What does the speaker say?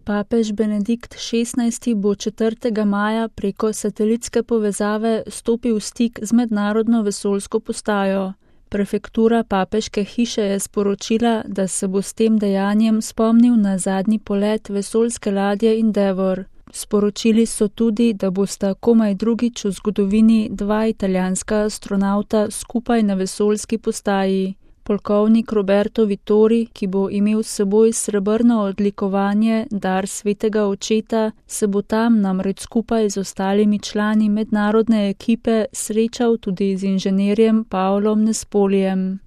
Papež Benedikt XVI bo 4. maja preko satelitske povezave stopil v stik z mednarodno vesoljsko postajo. Prefektura papeške hiše je sporočila, da se bo s tem dejanjem spomnil na zadnji polet vesoljske ladje Endeavour. Sporočili so tudi, da bosta komaj drugič v zgodovini dva italijanska astronavta skupaj na vesoljski postaji. Polkovnik Roberto Vittori, ki bo imel s seboj srebrno odlikovanje Dar svetega očeta, se bo tam namreč skupaj z ostalimi člani mednarodne ekipe srečal tudi z inženirjem Paolom Nespolijem.